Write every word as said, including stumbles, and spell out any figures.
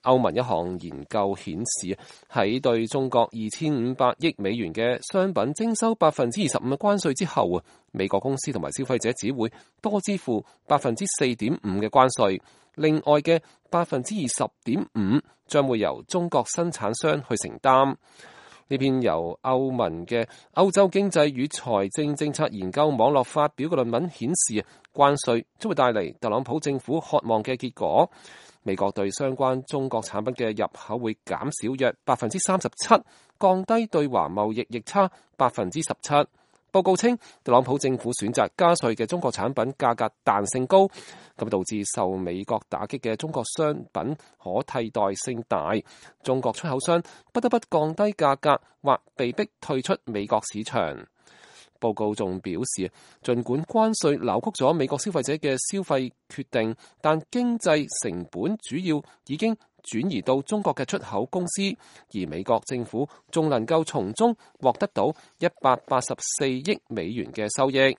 歐盟一項研究顯示，喺對中國二千五百億美元嘅商品徵收百分之二十五嘅關稅之後啊，美國公司同埋消費者只會多支付百分之四點五嘅關稅，另外嘅百分之二十點五將會由中國生產商去承擔。呢篇由歐盟嘅歐洲經濟與財政政策研究網絡發表嘅論文顯示，關稅將會帶嚟特朗普政府渴望嘅結果。美國對相關中國產品嘅入口會減少約百分之三十七，降低對華貿易逆差百分之十七。報告稱，特朗普政府選擇加稅嘅中國產品價格彈性高，咁導致受美國打擊嘅中國商品可替代性大，中國出口商不得不降低價格或被迫退出美國市場。報告仲表示，儘管關稅扭曲咗美國消費者嘅消費決定，但經濟成本主要已經轉移到中國嘅出口公司，而美國政府仲能夠從中獲得到一百八十四億美元嘅收益。